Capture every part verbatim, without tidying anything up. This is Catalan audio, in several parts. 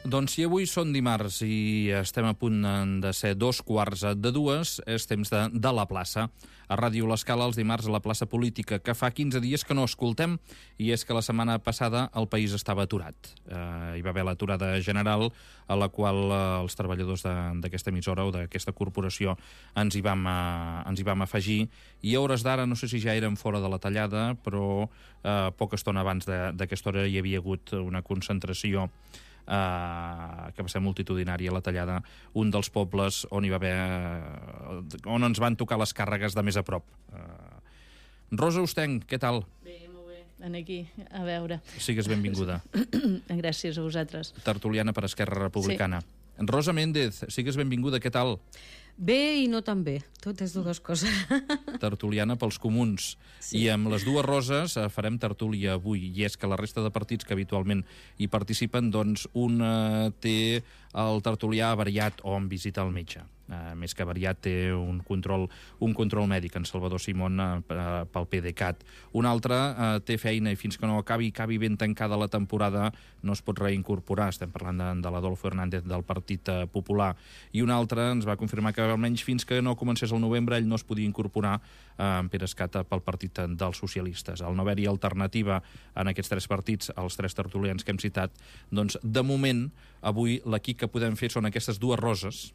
Doncs si avui són dimarts i estem a punt de ser dos quarts de dues, és temps de, de la plaça. A Ràdio L'Escala, els dimarts a la plaça política, que fa quinze dies que no escoltem, i és que la setmana passada el país estava aturat. Eh, hi va haver l'aturada general, a la qual eh, els treballadors d'aquesta emissora o d'aquesta corporació ens hi, vam, eh, ens hi vam afegir, i a hores d'ara, no sé si ja érem fora de la tallada, però eh, poca estona abans d'aquesta hora hi havia hagut una concentració Uh, que va ser multitudinària, la tallada, un dels pobles on hi va haver uh, on ens van tocar les càrregues de més a prop. uh, Rosa Ostenc, què tal? Bé, molt bé, en aquí, a veure. Sigues benvinguda. Gràcies a vosaltres. Tertuliana per Esquerra Republicana. Sí. Rosa Méndez, sigues benvinguda, què tal? Bé i no tan bé, totes dues coses. Tertuliana pels comuns. Sí. I amb les dues Roses farem tertúlia avui, i és que la resta de partits que habitualment hi participen, doncs un eh, té el tertulià avariat o en visita al metge. Uh, més que avariat, té un control, un control mèdic, en Salvador Simón, uh, pel PDeCAT. Un altre uh, té feina i fins que no acabi, acabi ben tancada la temporada, no es pot reincorporar. Estem parlant de, de l'Adolfo Hernández del Partit uh, Popular. I un altre ens va confirmar que almenys fins que no comencés el novembre ell no es podia incorporar uh, en Pere Escata pel Partit dels Socialistes. Al no haver-hi alternativa en aquests tres partits, els tres tertulians que hem citat, doncs de moment, avui l'equip que podem fer són aquestes dues Roses.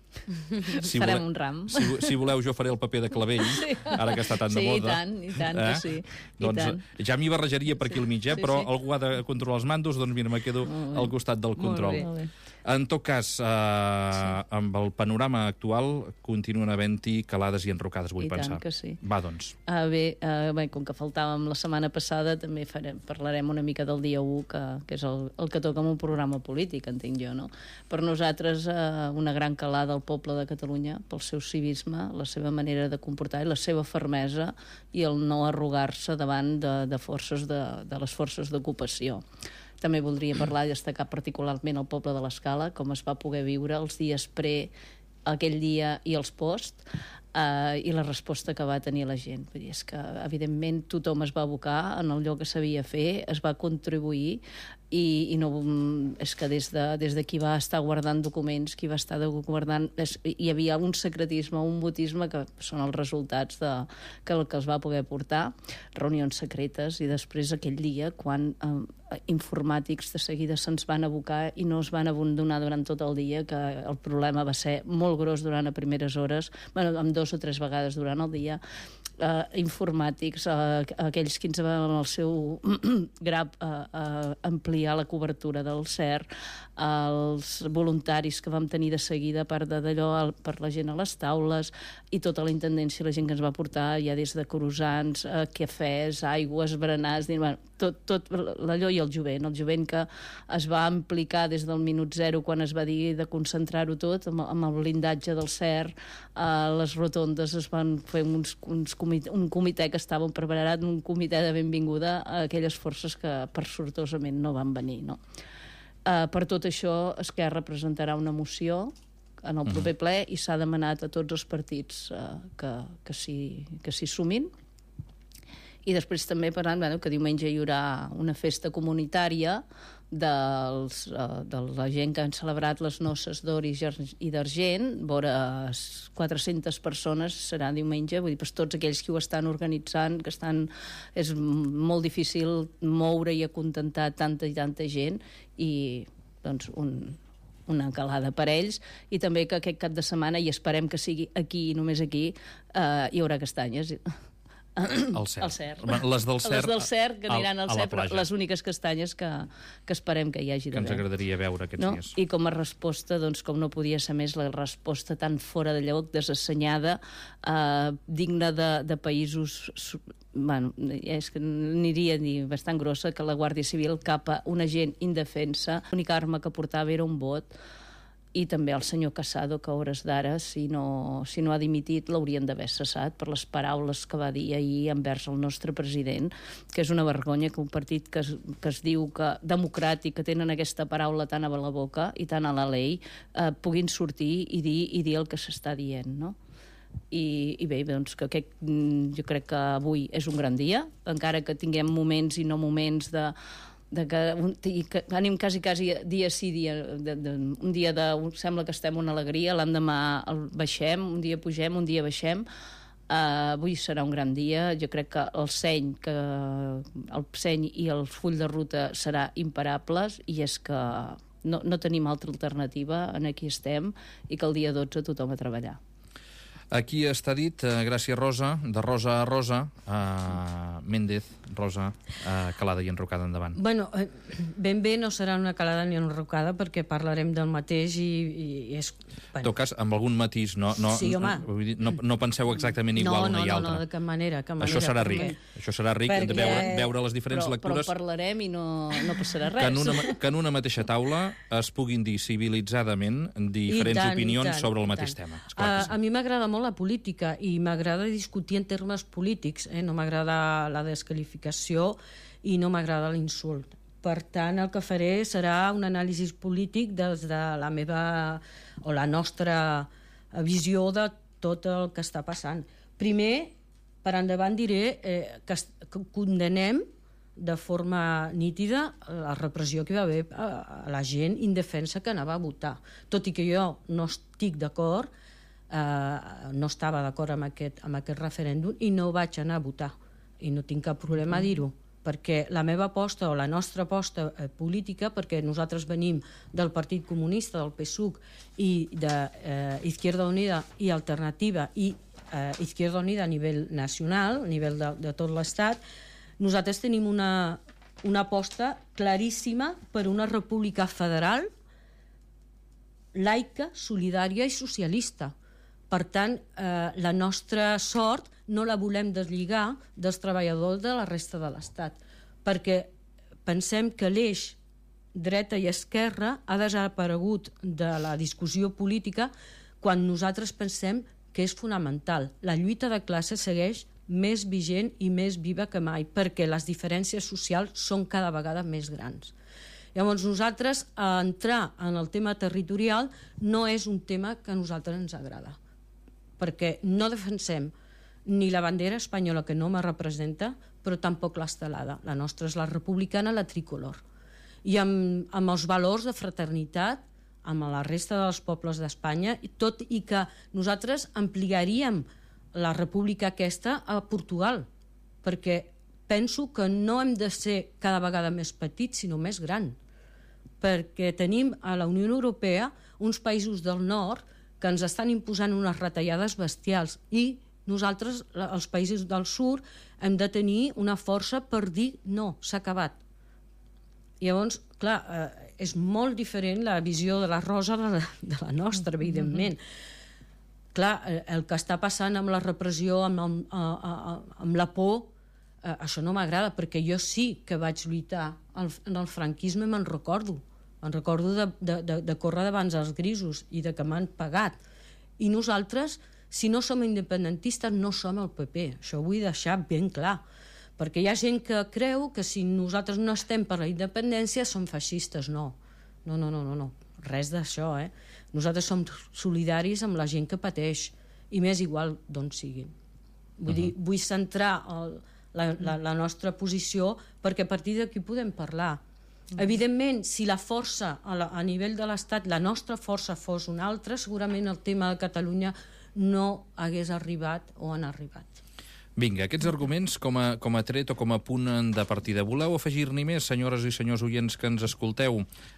Si farem vole... un ram. Si, si voleu, jo faré el paper de clavell, sí. Ara que està tan sí, de moda. Sí, i tant, i tant eh? que sí. I doncs tant. Ja m'hi barrejaria per aquí al mig, eh? Sí, però sí. algú ha de controlar els mandos, doncs mira, me quedo al costat del control. Molt bé, molt bé. En tot cas, eh, sí. amb el panorama actual, continuen havent-hi calades i enrocades, vull I pensar. tant que sí. Va, doncs. Uh, bé, uh, bé, com que faltàvem la setmana passada, també farem, parlarem una mica del dia u, que, que és el, el que toca en un programa polític, entenc jo, no? Per nosaltres, uh, una gran calada al poble de Catalunya, pel seu civisme, la seva manera de comportar i la seva fermesa i el no arrugar-se davant de, de forces de, de les forces d'ocupació. També voldria parlar i destacar particularment el poble de l'Escala, com es va poder viure els dies pre, aquell dia i els post, eh, i la resposta que va tenir la gent. Vull dir, és que, evidentment, tothom es va abocar en allò que sabia fer, es va contribuir, i, i no, és que des de, des de qui va estar guardant documents, qui va estar guardant... És, hi havia un secretisme, un mutisme, que són els resultats de, que, que els va poder portar, reunions secretes, i després aquell dia, quan eh, informàtics de seguida se'ns van abocar i no es van abandonar durant tot el dia, que el problema va ser molt gros durant a primeres hores, bueno, amb dos o tres vegades durant el dia, Uh, informàtics, uh, aquells que ens van amb el seu grab uh, uh, ampliar la cobertura del C E R, uh, els voluntaris que vam tenir de seguida, a part d'allò, per la gent a les taules, i tota la intendència, la gent que ens va portar ja des de croissants, uh, cafès, aigües, berenars, bueno, tot, tot l'allò, i el jovent, el jovent que es va implicar des del minut zero quan es va dir de concentrar-ho tot amb, amb el blindatge del C E R, uh, les rotondes es van fer uns, uns comitè, un comitè que estava preparat, un comitè de benvinguda a aquelles forces que per sortosament no van venir, no? Uh, per tot això, Esquerra presentarà una moció en el proper ple i s'ha demanat a tots els partits uh, que, que s'hi sumin. I després també parlant, bueno, que diumenge hi haurà una festa comunitària dels, uh, de la gent que han celebrat les noces d'or i d'argent, vora quatre-centes persones serà diumenge, vull dir, pues, tots aquells que ho estan organitzant, que estan, és molt difícil moure i acontentar tanta i tanta gent, i doncs un, una calada per ells, i també que aquest cap de setmana, i esperem que sigui aquí i només aquí, uh, hi haurà castanyes. El C E R. El C E R. Les del C E R, les del C E R que aniran al a, a C E R, però les úniques castanyes que, que esperem que hi hagi que ens agradaria veure aquests no? dies. I com a resposta, doncs, com no podia ser més, la resposta tan fora de lloc, desassenyada, eh, digna de, de països, bueno, és que aniria a dir bastant grossa, que la Guàrdia Civil cap a una gent indefensa, l'única arma que portava era un bot. I també el senyor Casado, que a hores d'ara, si no, si no ha dimitit, l'haurien d'haver cessat per les paraules que va dir ahir envers el nostre president, que és una vergonya que un partit que es, que es diu que democràtic, que tenen aquesta paraula tan a la boca i tan a la llei, eh, puguin sortir i dir, i dir el que s'està dient, no? I, i bé, doncs que aquest, jo crec que avui és un gran dia, encara que tinguem moments i no moments de de que, un, que anem quasi, quasi dia sí, dia, de, de, un dia de, sembla que estem una alegria, l'endemà el baixem, un dia pugem, un dia baixem. Uh, avui serà un gran dia. Jo crec que el seny, que el seny i el full de ruta serà imparables, i és que no, no tenim altra alternativa, en aquí estem, i que el dia dotze tothom a treballar. Aquí està dit, uh, gràcies Rosa, de Rosa a Rosa, uh, Méndez, Rosa, uh, calada i enrocada endavant. Bueno, eh, ben bé no serà una calada ni enrocada perquè parlarem del mateix i, i és... Bueno. En tot cas, amb algun matís, no, no, sí, home. no, no, no penseu exactament igual no, no, una i no, altra. No, no, de cap manera, cap manera. Això serà ric, perquè... això serà ric perquè... de veure, veure les diferents però, lectures. Però parlarem i no, no passarà res. Que en, una, que en una mateixa taula es puguin dir civilitzadament diferents tant, opinions tant, sobre el mateix tema. Esclar a, sí. a mi m'agrada molt la política i m'agrada discutir en termes polítics, eh? No m'agrada la desqualificació i no m'agrada l'insult. Per tant, el que faré serà un anàlisi polític des de la meva o la nostra visió de tot el que està passant. Primer, per endavant diré eh, que, que condenem de forma nítida la repressió que hi va haver a, a la gent indefensa que anava a votar. Tot i que jo no estic d'acord, eh, no estava d'acord amb aquest, amb aquest referèndum i no vaig anar a votar. I no tinc cap problema a dir-ho, perquè la meva aposta o la nostra aposta eh, política, perquè nosaltres venim del Partit Comunista, del P S U C i d'Izquierda eh, Unida i Alternativa i eh, Izquierda Unida a nivell nacional, a nivell de, de tot l'Estat, nosaltres tenim una, una aposta claríssima per una república federal, laica, solidària i socialista. Per tant, eh, la nostra sort no la volem deslligar dels treballadors de la resta de l'Estat, perquè pensem que l'eix dreta i esquerra ha desaparegut de la discussió política quan nosaltres pensem que és fonamental. La lluita de classe segueix més vigent i més viva que mai, perquè les diferències socials són cada vegada més grans. Llavors, nosaltres, a entrar en el tema territorial no és un tema que a nosaltres ens agrada, perquè no defensem ni la bandera espanyola, que no me representa, però tampoc l'estelada. La nostra és la republicana, la tricolor. I amb, amb els valors de fraternitat, amb la resta dels pobles d'Espanya, tot i que nosaltres ampliaríem la república aquesta a Portugal, perquè penso que no hem de ser cada vegada més petits, sinó més gran, perquè tenim a la Unió Europea uns països del nord que ens estan imposant unes retallades bestials i nosaltres, els països del sud, hem de tenir una força per dir no, s'ha acabat. Llavors, clar, eh, és molt diferent la visió de la Rosa de la, de la nostra, evidentment. Mm-hmm. Clar, el que està passant amb la repressió, amb, amb, amb, amb la por, eh, això no m'agrada, perquè jo sí que vaig lluitar en el franquisme, me'n recordo. Me'n recordo de, de, de, de córrer davant els grisos i de que m'han pagat. I nosaltres, si no som independentistes, no som el P P. Això ho vull deixar ben clar. Perquè hi ha gent que creu que si nosaltres no estem per la independència som feixistes. No, no, no, no, no, no. Res d'això, eh? Nosaltres som solidaris amb la gent que pateix, i m'és igual d'on siguin. Vull dir, vull centrar el, la, la, la nostra posició perquè a partir d'aquí podem parlar. Evidentment, si la força a, la, a nivell de l'Estat, la nostra força fos una altra, segurament el tema de Catalunya no hagués arribat o han arribat. Vinga, aquests arguments com a, com a tret o com a punt de partida. Voleu afegir-n'hi més, senyores i senyors oients que ens escolteu?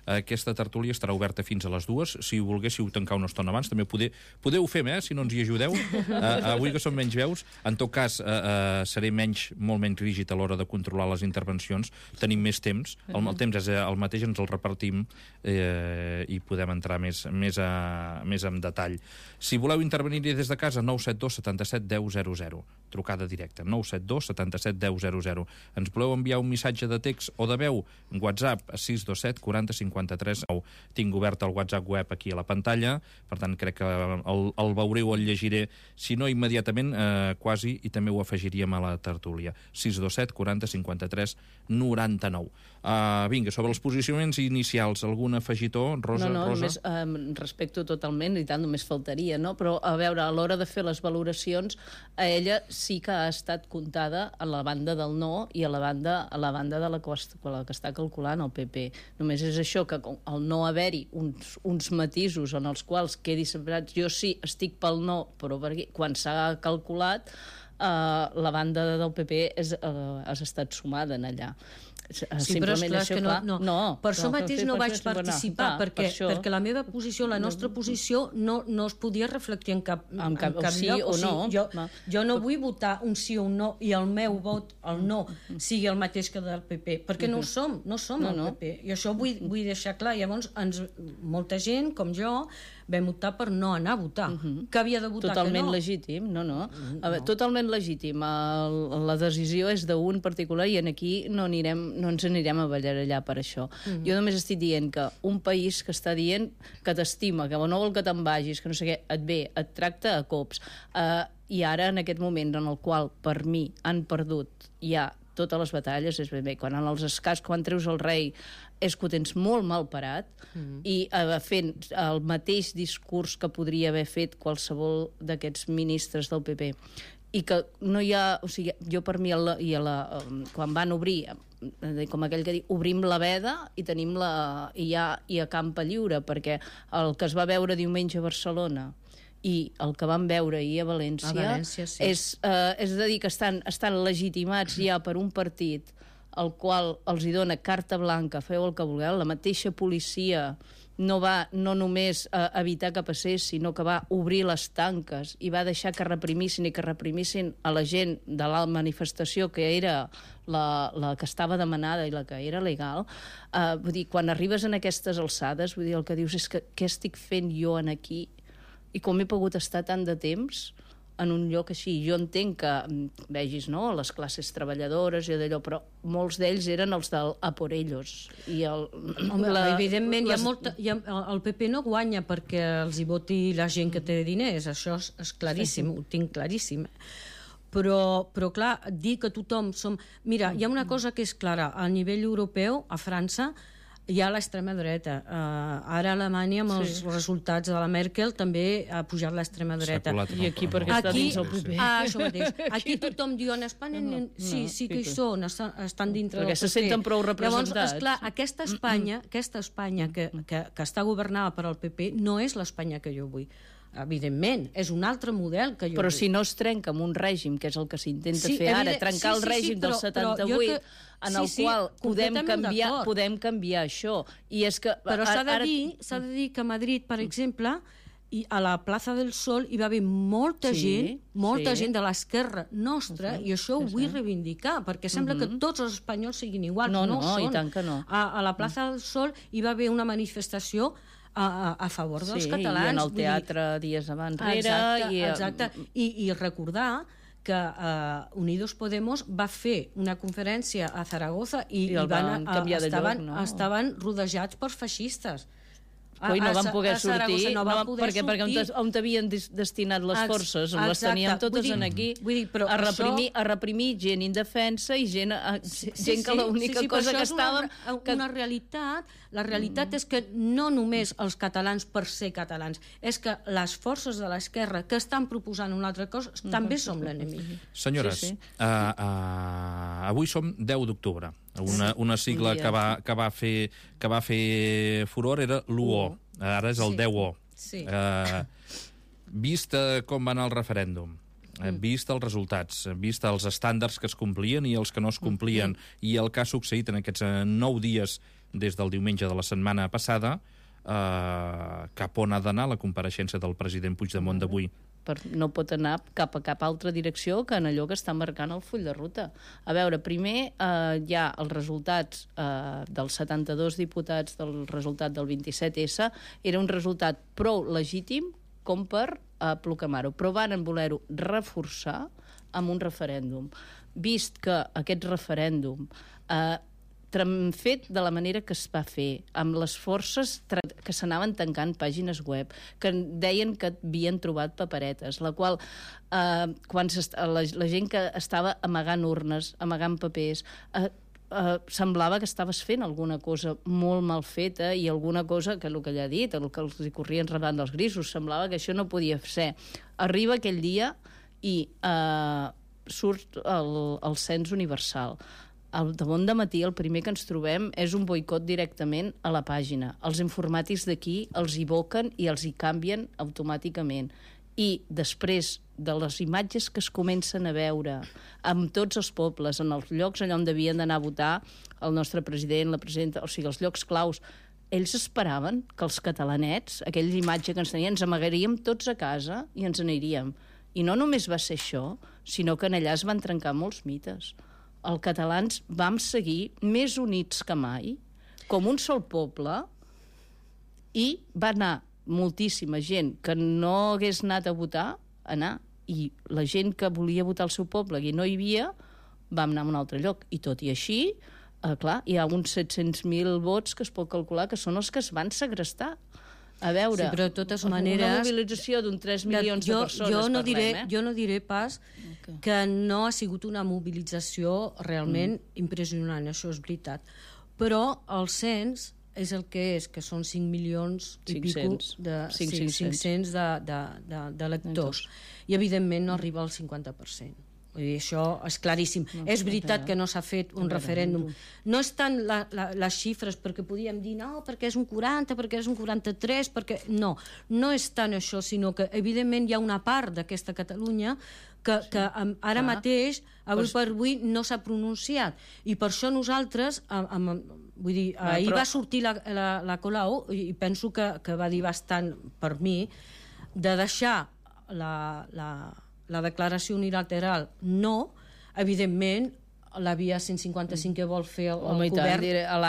Aquesta tertúlia estarà oberta fins a les dues. Si volguéssiu tancar una estona abans, també podeu, podeu fer-me, eh, si no ens hi ajudeu. Uh, avui que som menys veus, en tot cas, uh, uh, seré menys, molt menys rígid a l'hora de controlar les intervencions. Tenim més temps. El, el temps és el mateix, ens el repartim eh, i podem entrar més, més, a, més en detall. Si voleu intervenir des de casa, nou set dos setanta set deu zero zero. Trucada directe, nou set dos setanta set deu zero zero. Ens voleu enviar un missatge de text o de veu? WhatsApp sis dos set quaranta cinquanta tres nou. Tinc obert el WhatsApp web aquí a la pantalla, per tant crec que el, el veuré o el llegiré, si no immediatament, eh, quasi, i també ho afegiríem a la tertúlia. sis dos set quaranta cinquanta tres noranta-nou. Uh, vinga, sobre els posicionaments inicials, algun afegitó? Rosa, no, no, Rosa? Només um, respecto totalment, i tant, només faltaria, no? Però, a veure, a l'hora de fer les valoracions, a ella sí que ha estat comptada a la banda del no i a la banda, a la banda de la que, la que està calculant el P P. Només és això, que al no haver-hi uns, uns matisos en els quals quedi separat, jo sí estic pel no, però perquè quan s'ha calculat Uh, la banda del P P és, uh, has estat sumada en allà. Sí, però esclar, és que no, no. no per això mateix no vaig participar, no, perquè, per perquè la meva posició, la nostra posició no, no es podia reflectir en cap, en cap, en cap sí lloc. O, o sigui, no. Jo, no. jo no vull votar un sí o un no i el meu vot, el no, sigui el mateix que del P P, perquè no ho som, no som no, el no. P P. I això vull, vull deixar clar. Llavors, ens, molta gent, com jo, vam optar per no anar a votar. Uh -huh. Que havia de votar totalment que no. legítim, no, no. A veure, totalment legítim. El, la decisió és d'un particular i en aquí no, anirem, no ens anirem a ballarellar per això. Uh -huh. Jo només estic dient que un país que està dient que t'estima, que no vol que te'n vagis, que no sé què, et ve, et tracta a cops, eh, i ara en aquest moment en el qual per mi han perdut ja totes les batalles, és ben bé, quan en els escars, quan treus el rei, és que ho tens molt mal parat, mm. i eh, fent el mateix discurs que podria haver fet qualsevol d'aquests ministres del P P. I que no hi ha... O sigui, jo per mi, el, i la, quan van obrir, com aquell que diu, obrim la veda i tenim la... i ja hi ha campa lliure, perquè el que es va veure diumenge a Barcelona i el que vam veure ahir a València, a València sí. és, eh, és a dir, que estan, estan legitimats ja per un partit el qual els hi dona carta blanca, feu el que vulgueu, la mateixa policia no va no només eh, evitar que passés, sinó que va obrir les tanques i va deixar que reprimissin i que reprimissin a la gent de la manifestació que era la, la que estava demanada i la que era legal. Eh, vull dir, quan arribes en aquestes alçades, vull dir, el que dius és que què estic fent jo en aquí i com he pogut estar tant de temps en un lloc així. Jo entenc que vegis, no?, les classes treballadores i d'allò, però molts d'ells eren els del a por ellos. I el, Home, la, evidentment, les... hi ha molta, hi ha, el P P no guanya perquè els hi voti la gent que té diners, això és, és claríssim, sí. Ho tinc claríssim. Però, però clar, dir que tothom som... Mira, hi ha una cosa que és clara, a nivell europeu, a França, hi ha l'extrema dreta. Uh, ara a Alemanya, amb els sí. resultats de la Merkel, també ha pujat l'extrema dreta. I aquí perquè està aquí, dins el P P. Ah, això mateix. Aquí tothom diu, en Espanya no, no, sí, sí que hi són, estan dintre perquè del P P. se senten prou representats. Llavors, esclar, aquesta Espanya, aquesta Espanya que, que, que està governada per al P P no és l'Espanya que jo vull. Evidentment, és un altre model que jo Però vull. si no es trenca amb un règim, que és el que s'intenta sí, fer ara, evident, trencar sí, sí, el règim sí, però, del setanta-vuit, que, en el sí, qual sí, podem, canviar, podem canviar això. I és que, però s'ha de, ara... dir, s'ha de dir que a Madrid, per exemple, i a la plaça del Sol hi va haver molta sí, gent, molta sí. gent de l'esquerra nostra, uh -huh, i això ho vull sí. reivindicar, perquè sembla uh -huh. que tots els espanyols siguin iguals. No, no, no, són. I tant que no. A, a la plaça del Sol hi va haver una manifestació a, a, a favor dels sí, catalans. I en el teatre dir... dies abans rere. Exacte, i, exacte. I, i recordar que uh, Unidos Podemos va fer una conferència a Zaragoza i, I, i van, van a, estaven, lloc, no? estaven rodejats per feixistes. Ui, no van poder sortir, no van poder perquè, sortir. perquè on t'havien destinat les forces, on les teníem totes dir, en aquí, vull dir, però a, reprimir, això... a reprimir gent indefensa i gent, a, sí, gent que sí, l'única sí, sí, cosa que estàvem... Una, que... una realitat, la realitat mm. és que no només els catalans per ser catalans, és que les forces de l'esquerra que estan proposant una altra cosa mm. també som l'enemic. Senyores, sí, sí. Uh, uh, avui som deu d'octubre. Una, una sigla que va, que, va fer, que va fer furor era l'u o. Ara és el sí. deu o. Sí. Uh, vist uh, com va anar el referèndum, uh, vist els resultats, vist els estàndards que es complien i els que no es complien, mm. i el que ha succeït en aquests uh, nou dies des del diumenge de la setmana passada, uh, cap on ha d'anar la compareixença del president Puigdemont d'avui? Per, no pot anar cap a cap altra direcció que en allò que està marcant el full de ruta. A veure, primer eh, hi ha els resultats eh, dels setanta-dos diputats del resultat del vint-i-set essa, era un resultat prou legítim com per eh, proclamar-ho, però van voler-ho reforçar amb un referèndum. Vist que aquest referèndum eh, fet de la manera que es va fer, amb les forces que s'anaven tancant pàgines web, que deien que havien trobat paperetes, la qual, eh, quan la, la gent que estava amagant urnes, amagant papers, eh, eh, semblava que estaves fent alguna cosa molt mal feta i alguna cosa que el que ella ha dit, el que els corrien rebant dels grisos, semblava que això no podia ser. Arriba aquell dia i... Eh, surt el, el cens universal. Al damunt de matí el primer que ens trobem és un boicot directament a la pàgina. Els informàtics d'aquí els evoquen i els hi canvien automàticament. I després de les imatges que es comencen a veure amb tots els pobles, en els llocs allà on devien d'anar a votar el nostre president, la presidenta, o sigui, els llocs claus, ells esperaven que els catalanets, aquella imatge que ens tenien, ens amagaríem tots a casa i ens aniríem. I no només va ser això, sinó que en allà es van trencar molts mites. Els catalans vam seguir més units que mai, com un sol poble, i va anar moltíssima gent que no hagués anat a votar, anar, i la gent que volia votar al seu poble i no hi havia, vam anar a un altre lloc. I tot i així, eh, clar, hi ha uns set-cents mil vots que es pot calcular que són els que es van segrestar. A veure, sí, però de totes maneres, una mobilització d'un tres milions jo, de persones jo no diré, parlem, eh? Jo no diré pas okay. que no ha sigut una mobilització realment mm. impressionant, això és veritat. Però el cens és el que és, que són cinc milions i pico de, cinc-cents de, de, de, de lectors. I evidentment no arriba al cinquanta per cent. Vull dir, això és claríssim. No, és veritat que no s'ha fet un referèndum. No és tant la, la, les xifres, perquè podíem dir no, perquè és un quaranta, perquè és un quaranta-tres, perquè... No, no és tant això, sinó que evidentment hi ha una part d'aquesta Catalunya que, sí. que ara ah. mateix, avui per avui, no s'ha pronunciat. I per això nosaltres, amb, amb, vull dir, ah, ahir però... va sortir la, la, la Colau, i penso que, que va dir bastant per mi, de deixar la... la la declaració unilateral no, evidentment la via cent cinquanta-cinc que vol fer el, el govern,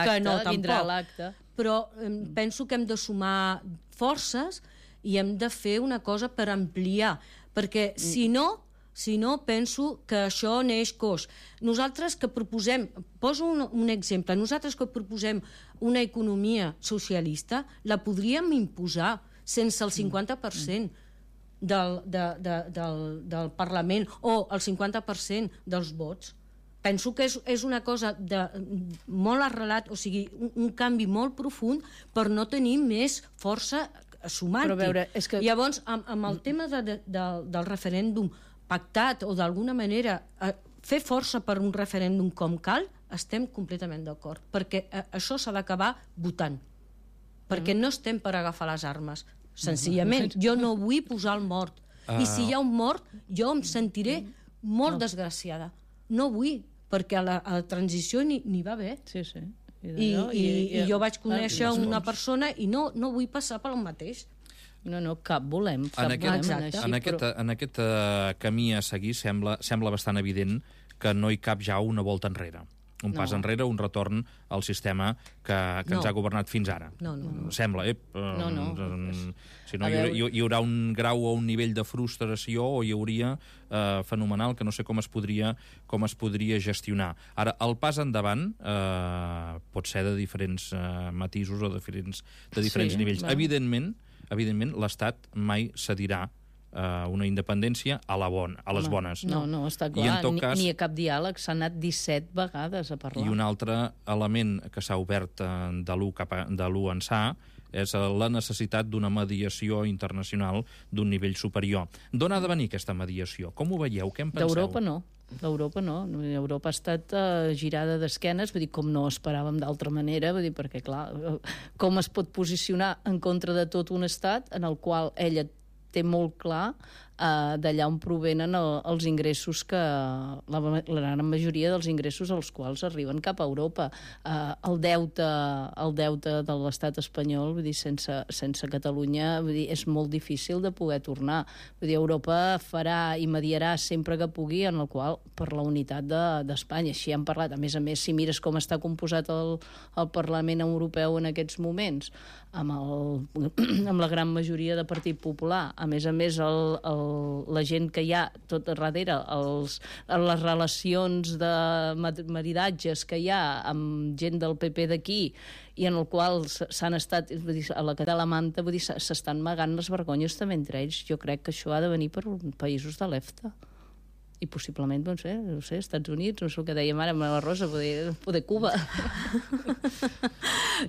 que no tampoc, però eh, penso que hem de sumar forces i hem de fer una cosa per ampliar, perquè si no, si no penso que això neix coix. Nosaltres que proposem, poso un, un exemple, nosaltres que proposem una economia socialista, la podríem imposar sense el cinquanta per cent Del, de, de, del, del Parlament o el cinquanta per cent dels vots. Penso que és, és una cosa de, molt arrelat, o sigui, un, un canvi molt profund per no tenir més força sumant-hi. Però veure, és que... Llavors, amb, amb el tema de, de, de, del referèndum pactat o d'alguna manera eh, fer força per un referèndum com cal, estem completament d'acord, perquè eh, això s'ha d'acabar votant, perquè no estem per agafar les armes. Senzillament, jo no vull posar el mort. Uh... I si hi ha un mort, jo em sentiré molt no. desgraciada. No vull, perquè a la, a la transició n'hi va haver. Sí, sí. I, I, i, i jo vaig conèixer una persona i no, no vull passar pel mateix. No, no, cap volem. Cap en aquest, volem així, en aquest, però... en aquest uh, camí a seguir sembla, sembla bastant evident que no hi cap ja una volta enrere. Un pas no. enrere, un retorn al sistema que, que no. ens ha governat fins ara. No, no, no. Sembla, eh? No, no. Si no, hi, hi, hi haurà un grau o un nivell de frustració o hi hauria eh, fenomenal que no sé com es podria, com es podria gestionar. Ara, el pas endavant eh, pot ser de diferents eh, matisos o de diferents, de diferents sí, nivells. Va. Evidentment, evidentment l'Estat mai cedirà Uh, una independència a, la bon, a les Home, bones. No, no, està clar. I en tot ni, cas, ni a cap diàleg s'ha anat disset vegades a parlar. I un altre element que s'ha obert uh, de l'u cap a, de l'u ençà és uh, la necessitat d'una mediació internacional d'un nivell superior. D'on ha de venir aquesta mediació? Com ho veieu? Què en penseu? D'Europa no. D'Europa no. Europa ha estat uh, girada d'esquenes, vull dir, com no esperàvem d'altra manera, vull dir, perquè, clar, com es pot posicionar en contra de tot un estat en el qual ella té molt clar eh, d'allà on provenen el, els ingressos que... La, la gran majoria dels ingressos als quals arriben cap a Europa. Eh, el deute el deute de l'estat espanyol, vull dir, sense, sense Catalunya, vull dir, és molt difícil de poder tornar. Vull dir, Europa farà i mediarà sempre que pugui, en el qual, per la unitat d'Espanya. De, Així hem parlat. A més a més, si mires com està composat el, el Parlament Europeu en aquests moments, amb, el, amb la gran majoria de Partit Popular, a més a més el, el, la gent que hi ha tot darrere, els, les relacions de maridatges que hi ha amb gent del P P d'aquí i en el qual s'han estat, vull dir, a la Catalamanta, vull dir, s'estan amagant les vergonyes també entre ells. Jo crec que això ha de venir per països de l'EFTA. I possiblement, no sé, no sé, Estats Units, no sé el que dèiem ara amb la Rosa, poder, poder Cuba.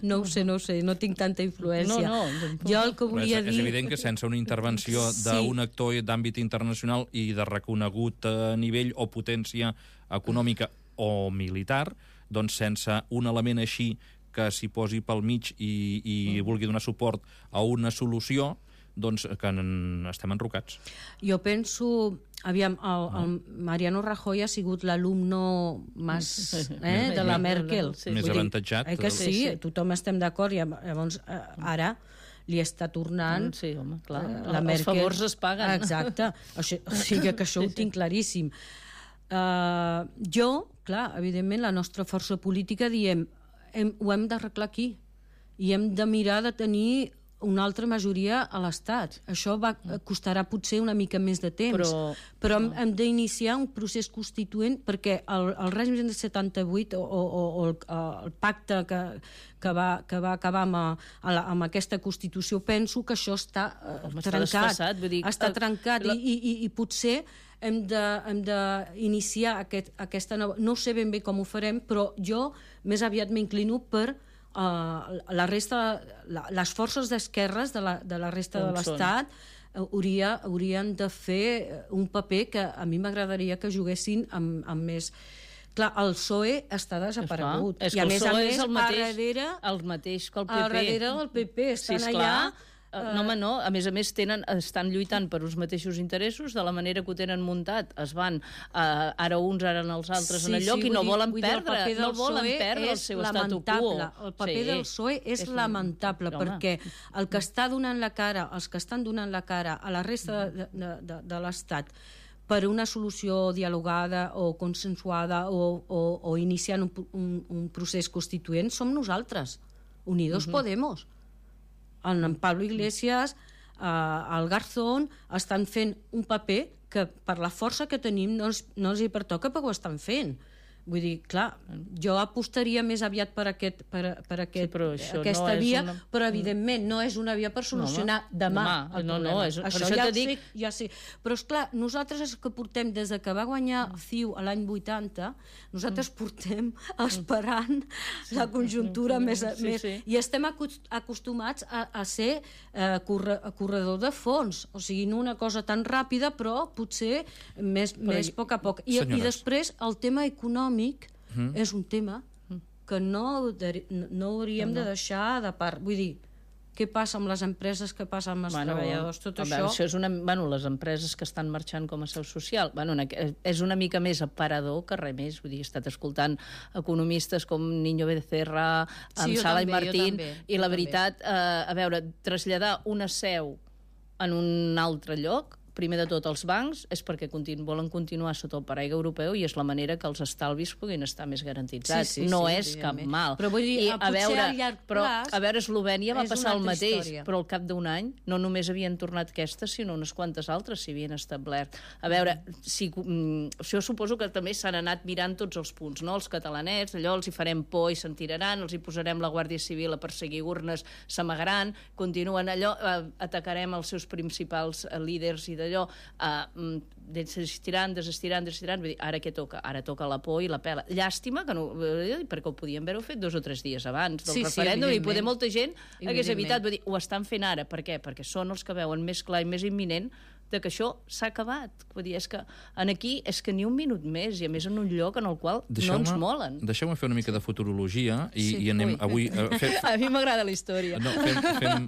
No ho sé, no ho sé, no tinc tanta influència. No, no. Jo el que volia és, dir... És evident que sense una intervenció d'un actor d'àmbit internacional i de reconegut nivell o potència econòmica o militar, doncs sense un element així que s'hi posi pel mig i, i vulgui donar suport a una solució, doncs que estem enrocats. Jo penso... Aviam, el, el Mariano Rajoy ha sigut l'alumno més, eh, de la Merkel. Sí. Més avantatjat. Eh que sí, tothom estem d'acord, i llavors ara li està tornant... Sí, home, clar, la Merkel... els favors es paguen. Exacte, o sigui que això ho tinc claríssim. Uh, jo, clar, evidentment, la nostra força política diem hem, ho hem d'arreglar aquí i hem de mirar de tenir una altra majoria a l'Estat. Això va, costarà potser una mica més de temps, però, però hem, hem d'iniciar un procés constituent perquè el, el règim de setanta-vuit o, o, o el, el pacte que, que, va, que va acabar amb, a, amb aquesta Constitució, penso que això està Home, trencat. Està, vull dir, està trencat la... i, i, i potser hem d'iniciar aquest, aquesta nova... No sé ben bé com ho farem, però jo més aviat m'inclino per Uh, la resta, la, les forces d'esquerres de, la, de la resta Com de l'Estat hauria, haurien de fer un paper que a mi m'agradaria que juguessin amb, amb més... Clar, el P S O E està desaparegut. És I a més a més, el mateix, a darrere... El mateix que el P P. A darrere del P P estan sí, allà... Uh, no, home, no. A més a més, tenen, estan lluitant per uns mateixos interessos, de la manera que ho tenen muntat. Es van, uh, ara uns, ara els altres, sí, en el lloc, sí, i no dir, volen perdre, no volen perdre el seu statu quo. El paper sí, del P S O E és, és lamentable, home. Perquè el que està donant la cara, els que estan donant la cara a la resta de, de, de, de l'Estat per una solució dialogada o consensuada o, o, o iniciant un, un, un procés constituent, som nosaltres, Unidos uh-huh. Podemos. El en Pablo Iglesias, eh, el Garzón, estan fent un paper que per la força que tenim no els, no els hi pertoca perquè ho estan fent. Vull dir, clar, jo apostaria més aviat per, aquest, per, per aquest, sí, aquesta no via, una... però evidentment no és una via per solucionar no, demà, demà el no, problema. No, és, això això ja, dic... sé, ja sé. Però esclar, nosaltres és que portem, des de que va guanyar C I U a l'any vuitanta, nosaltres portem esperant la conjuntura més... Sí, més sí. I estem acostumats a, a ser eh, corre, corredor de fons, o sigui, no una cosa tan ràpida, però potser més, però més a poc a poc. I, i després el tema econòmic Mm. és un tema que no, no hauríem no, no. de deixar de part. Vull dir, què passa amb les empreses, què passa amb els bueno, treballadors, tot això... això és una, bueno, les empreses que estan marxant com a seu social, bueno, és una mica més aparador que res més. Vull dir, he estat escoltant economistes com Niño Becerra, amb sí, Sala també, i Martín, també, i la veritat, eh, a veure, traslladar una seu en un altre lloc, primer de tot, els bancs, és perquè continu, volen continuar sota el paraigua europeu i és la manera que els estalvis puguin estar més garantitzats. Sí, sí, no sí, és cap mal. Però vull dir, I, a veure, a llarg però, plaç... A veure, Eslovènia va passar el mateix, història. Però al cap d'un any no només havien tornat aquestes, sinó unes quantes altres s'hi havien establert. A veure, si, mm, jo suposo que també s'han anat mirant tots els punts, no? Els catalanets, allò els hi farem por i se'n tiraran, els hi posarem la Guàrdia Civil a perseguir urnes, s'amagaran, continuen allò, eh, atacarem els seus principals eh, líders i d'allò... Eh, desestiran, desestiran, desestiran, vull dir, ara què toca? Ara toca la por i la pela. Llàstima que no, perquè ho podien haver-ho fet dos o tres dies abans del sí, referèndum sí, i poder molta gent hagués evitat. Vull dir, ho estan fent ara. Per què? Perquè són els que veuen més clar i més imminent de que això s'ha acabat. Vull dir, és que en aquí és que ni un minut més, i a més en un lloc en el qual no ens molen. Deixeu-me fer una mica de futurologia i, sí, i anem ui. avui... Uh, fem... A mi m'agrada la història. No, fem, fem...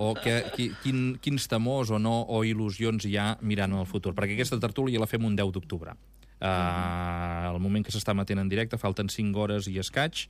O que, qui, quin, quins temors o no o il·lusions hi ha mirant el futur, perquè aquesta tertúlia la fem un deu d'octubre. Uh, al moment que s'està emetent en directe falten cinc hores i escaig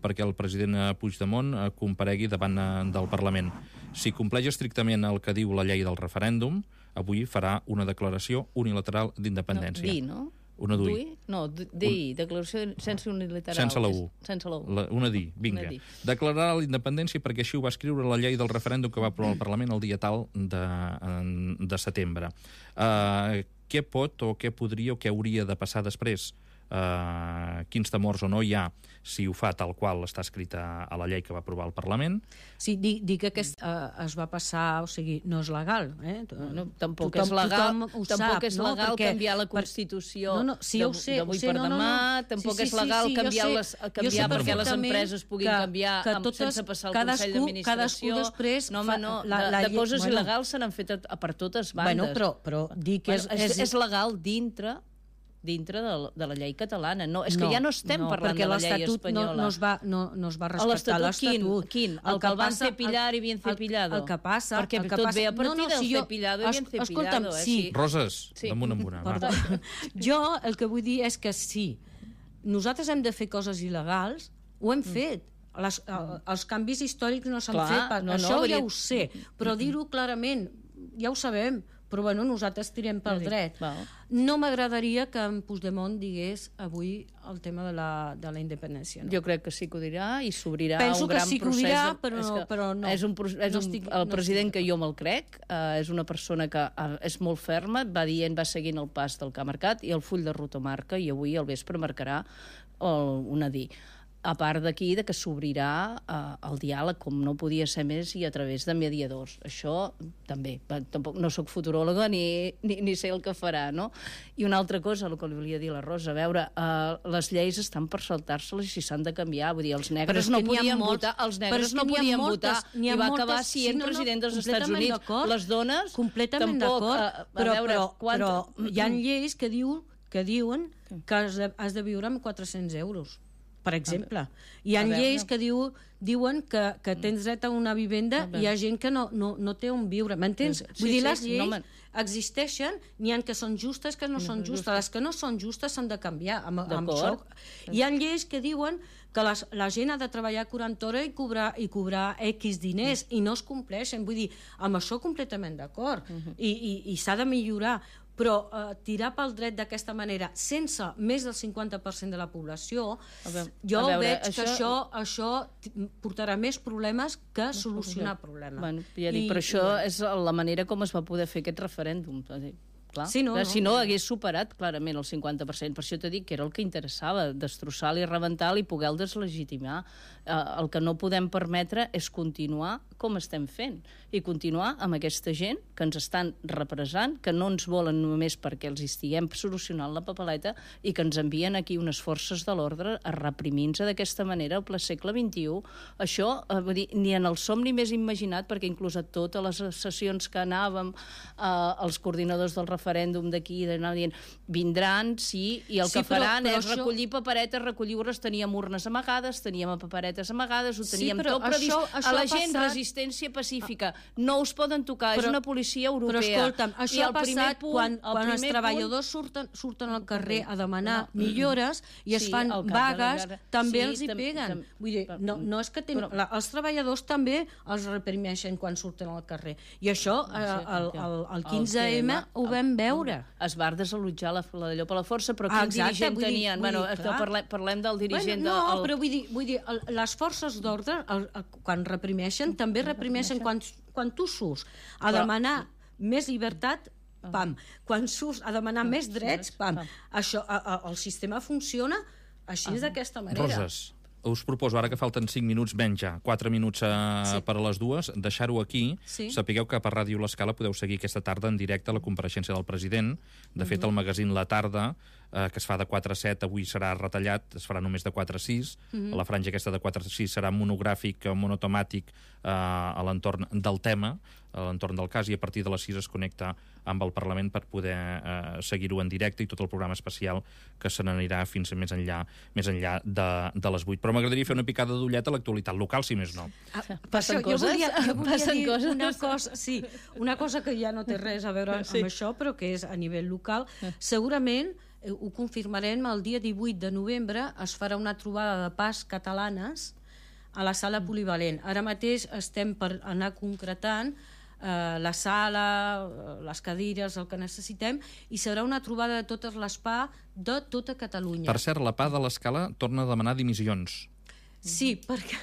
perquè el president Puigdemont comparegui davant del Parlament. Si compleix estrictament el que diu la llei del referèndum, avui farà una declaració unilateral d'independència. No, dir, no? Una D U I. No, D I, un... declaració sense unilateral. Sense la U. Sense la U. La, una D I, vinga. Una Declararà la independència perquè així ho va escriure la llei del referèndum que va aprovar el Parlament el dia tal de, de setembre. Uh, què pot o què podria o què hauria de passar després? eh, quins temors o no hi ha si ho fa tal qual està escrita a la llei que va aprovar el Parlament. Sí, dic, dic que aquest, uh, es va passar, o sigui, no és legal. Eh? No, tampoc tothom, és legal, tampoc sap, és legal no? Perquè, canviar la Constitució no, no, sí, d'avui no, per no, demà, no, no. tampoc sí, sí, és legal sí, sí, canviar, sé, les, canviar perquè les empreses puguin que, canviar que amb, totes, sense passar el cadascú, Consell d'Administració. Després no, home, no, la, de, la, de coses bueno, il·legals se n'han fet a, a per totes bandes. Bueno, però, però dic que bueno, és, és, és legal dintre dintre de, de la llei catalana. No, és que no, ja no estem no, parlant de la llei espanyola. No, no, es va, no, no es va respectar l'Estatut. Quin? quin? El, el que el van cepillar i bien cepillado? El, el que passa... Perquè el que tot passa, ve a partir no, no, del si jo, cepillado i bien cepillado. Escolta'm, eh? sí. Roses, sí. damunt amb una. Perdó. Jo el que vull dir és que sí, nosaltres hem de fer coses il·legals, ho hem mm. fet. Les, el, els canvis històrics no s'han fet, per, no, això no, ja ho sé, però dir-ho clarament, ja ho sabem, però bueno, nosaltres tirem pel dret. No m'agradaria que en Puigdemont digués avui el tema de la, de la independència. No? Jo crec que sí que ho dirà i s'obrirà un gran procés. Penso que sí que ho dirà, però, és però no. És un, és un, no estic, el no president estic. que jo me'l crec, uh, és una persona que uh, és molt ferma, va dient, va seguint el pas del que ha marcat i el full de ruta marca, i avui al vespre marcarà el, una dir. A part d'aquí, de que s'obrirà eh, el diàleg, com no podia ser més, i a través de mediadors. Això també. Tampoc no sóc futuròloga ni, ni, ni sé el que farà, no? I una altra cosa, el que li volia dir a la Rosa, a veure, eh, les lleis estan per saltar-se-les i s'han de canviar. Vull dir, els negres no podien molts, votar, els negres no podien moltes, votar, i va moltes, acabar sent sí, no, no, president dels Estats Units. Les dones, completament tampoc... Eh, però, veure, però, quant... però hi ha lleis que, diu, que diuen que has de, has de viure amb quatre-cents euros. Per exemple. Hi ha lleis que diu, diuen que, que tens dret a una vivenda i hi ha gent que no, no, no té on viure. M'entens? Sí, Vull dir, les lleis no existeixen, n'hi ha que són justes, que no, no són justes. Les que no són justes s'han de canviar. Amb, amb això. Hi ha lleis que diuen que les, la gent ha de treballar quaranta hores i cobrar, i cobrar X diners i no es compleixen. Vull dir, amb això completament d'acord. Uh -huh. I, i, i s'ha de millorar. Però eh, tirar pel dret d'aquesta manera, sense més del cinquanta per cent de la població, veure, jo veure, veig això... que això, això portarà més problemes que solucionar problemes. Bueno, ja dic, I, però això i... és la manera com es va poder fer aquest referèndum. Clar. Sí, no, no, si no, hagués superat clarament el cinquanta per cent. Per això t'he dit que era el que interessava, destrossar-lo i rebentar-lo i poder-lo deslegitimar. Eh, el que no podem permetre és continuar com estem fent i continuar amb aquesta gent que ens estan represant, que no ens volen només perquè els estiguem solucionant la papeleta i que ens envien aquí unes forces de l'ordre a reprimir-nos d'aquesta manera al ple segle vint-i-u. Això, eh, vull dir, ni en el somni més imaginat, perquè inclús a totes les sessions que anàvem, eh, els coordinadors del referèndum d'aquí, d'anar dient, vindran, sí, i el sí, que faran però, però és això... recollir paperetes, recollir urnes, teníem urnes amagades, teníem paperetes amagades, ho teníem sí, tot previst. Això, això a la gent, passat... resistència pacífica. No us poden tocar, però, és una policia europea. Però escolta'm, això ha passat punt, quan, quan els treballadors punt... surten, surten al carrer a demanar no. millores i es sí, fan vagues, de... també sí, els hi peguen. Tam... Vull dir, no, no és que ten... però... la, els treballadors també els reprimeixen quan surten al carrer. I això, no sé, eh, el, el, el quinze eme ho vam veure. Es va desallotjar la, la d'allò per la força, però quin Exacte, dirigent dir, tenien? Dir, bueno, dir, parlem, parlem del dirigent... Bueno, no, del... però vull dir, vull dir el, les forces d'ordre, quan reprimeixen, també reprimeixen quan, quan tu surts a però... demanar més llibertat, pam. Quan surts a demanar més drets, pam. Això, a, a, el sistema funciona així, uh -huh. d'aquesta manera. Roses, us proposo, ara que falten cinc minuts, menys ja, quatre minuts a, sí. per a les dues, deixar-ho aquí. Sí. Sapigueu que per Ràdio L'Escala podeu seguir aquesta tarda en directe la compareixença del president. De fet, uh -huh. el magazín La Tarda, eh, que es fa de quatre a set, avui serà retallat, es farà només de quatre a sis. Uh -huh. La franja aquesta de quatre a sis serà monogràfic, monotemàtic, eh, a l'entorn del tema, a l'entorn del cas, i a partir de les sis es connecta amb el Parlament per poder eh, seguir-ho en directe i tot el programa especial que se n'anirà fins a més enllà, més enllà de, de les vuit. Però m'agradaria fer una picada d'ullet a l'actualitat local, si més no. Ah, passen coses? Jo volia, jo volia passen dir coses? Una cosa, sí, una cosa que ja no té res a veure sí. amb això, però que és a nivell local. Segurament, eh, ho confirmarem, el dia divuit de novembre es farà una trobada de pas catalanes a la sala polivalent. Ara mateix estem per anar concretant Uh, la sala, uh, les cadires, el que necessitem, i serà una trobada de totes les P A de tota Catalunya. Per cert, la P A de l'Escala torna a demanar dimissions. Sí, perquè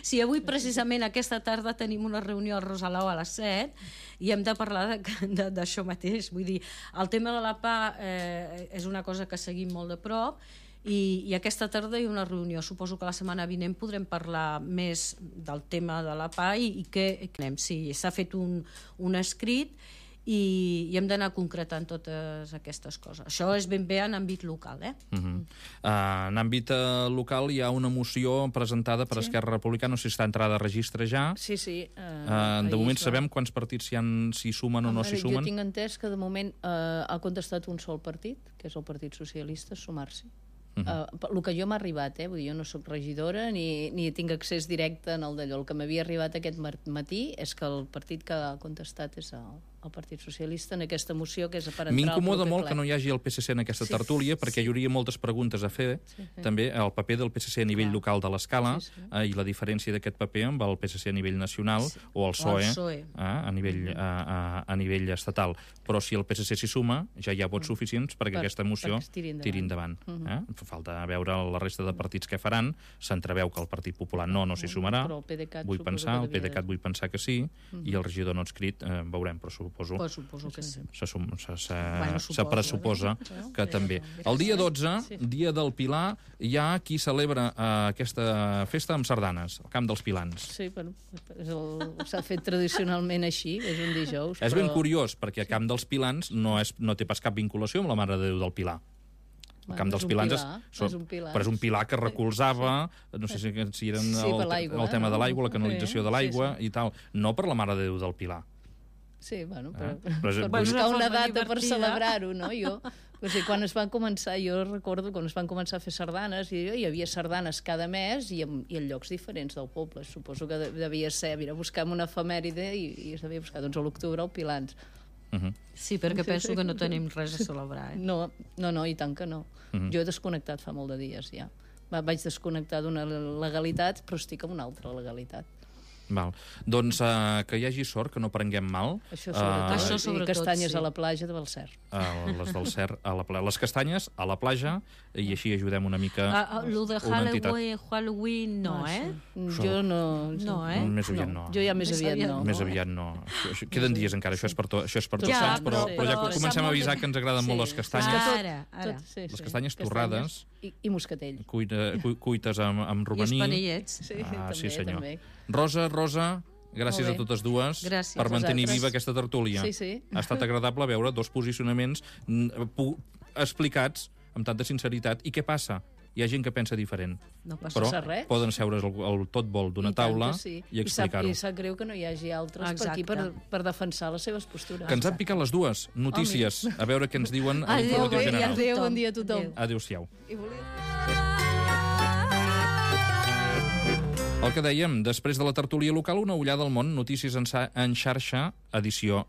sí, avui precisament aquesta tarda tenim una reunió al Rosalau a les set i hem de parlar d'això mateix. Vull dir, el tema de la P A eh, és una cosa que seguim molt de prop i, i aquesta tarda hi ha una reunió. Suposo que la setmana vinent podrem parlar més del tema de la P A i, i què anem. Sí, s'ha fet un, un escrit i, i hem d'anar concretant totes aquestes coses. Això és ben bé en àmbit local, eh? Uh -huh. uh, en àmbit uh, local hi ha una moció presentada per sí. Esquerra Republicana, no sé si està entrada a registre ja. Sí, sí. Uh, uh, de moment sabem quants partits s'hi sumen o no s'hi sumen? Jo tinc entès que de moment uh, ha contestat un sol partit, que és el Partit Socialista, sumar-s'hi. Uh -huh. uh, el que jo m'ha arribat, eh? Vull dir, jo no sóc regidora ni, ni tinc accés directe en el d'allò. El que m'havia arribat aquest matí és que el partit que ha contestat és el, el Partit Socialista en aquesta moció que és per entrar al proper ple. M'incomoda molt que no hi hagi el P S C en aquesta sí, tertúlia perquè sí. hi hauria moltes preguntes a fer, sí, sí. també el paper del P S C a nivell Clar. local de l'escala sí, sí. eh, i la diferència d'aquest paper amb el P S C a nivell nacional sí. o el P S O E, o el P S O E. Eh, a, nivell, mm. a, a, a nivell estatal. Però si el P S C s'hi suma, ja hi ha vots suficients perquè per, aquesta moció per tiri endavant. Tiri endavant mm -hmm. eh? Falta veure la resta de partits què faran. S'entreveu que el Partit Popular no, no s'hi sumarà. Però el PDeCAT vull pensar, el PDeCAT vull pensar que sí, mm -hmm. i el regidor no adscrit eh, veurem, però suposo... Però suposo que sí. Se, se, se, bueno, se pressuposa que també. El dia dotze, dia del Pilar, hi ha qui celebra uh, aquesta festa amb sardanes, al Camp dels Pilans. Sí, bueno, s'ha fet tradicionalment així, és un dijous. És però... ben curiós, perquè el Camp dels Pilans no, és, no té pas cap vinculació amb la Mare de Déu del Pilar. El bueno, Camp dels és Pilans pilar, és, són, és un pilar. però és un pilar que recolzava, no sé si, si eren sí, el, el tema de l'aigua, la canalització sí, de l'aigua sí, sí. i tal, no per la Mare de Déu del Pilar. Sí, bueno, però, eh? per, per buscar una data per celebrar-ho, no? Jo, o sigui, quan es van començar, jo recordo quan es van començar a fer sardanes, i hi havia sardanes cada mes i en, i en llocs diferents del poble. Suposo que devia ser, mira, buscam una efemèride i, i es devia buscar, doncs, a l'octubre, al Pilans. Uh -huh. Sí, perquè penso que no tenim res a celebrar, eh? No, no, no, i tant que no. Uh -huh. Jo he desconnectat fa molt de dies, ja. Vaig desconnectar d'una legalitat, però estic en una altra legalitat. Val. Doncs uh, que hi hagi sort, que no prenguem mal. Això sobretot. Uh, Això sobretot, I castanyes sí. a la platja de Balcer. Uh, les del Cer a la platja. Les castanyes a la platja, i així ajudem una mica uh, uh, lo de Halloween, Halloween no, eh? Això, jo no... No, eh? Més aviat no. Jo ja més, més aviat, aviat no. Més aviat no. Això, queden dies encara, això és per, to, això és per tots ja, sants, però, sí. però ja però comencem a avisar que ens agraden sí. molt les castanyes. Ara, ara. Tot, sí, les sí. castanyes torrades. I, i moscatell. Cuita, cu, cuites amb, amb romaní. I espanellets. Sí, ah, també, sí, senyor. també. Rosa, Rosa... Gràcies a totes dues Gràcies per mantenir vosaltres. viva aquesta tertúlia. Sí, sí. Ha estat agradable veure dos posicionaments explicats amb tanta sinceritat. I què passa? Hi ha gent que pensa diferent. No passa però res. poden seure's el, el tot vol d'una taula sí. i explicar-ho. I sap greu que no hi hagi altres Exacte. per aquí per, per defensar les seves postures. Que ens han picat les dues notícies. A veure què ens diuen a l'Informatiu General. Adéu, bon dia a tothom. Adéu-siau. I volia... El que dèiem, després de la tertúlia local, una ullada al món, notícies en, en xarxa, edició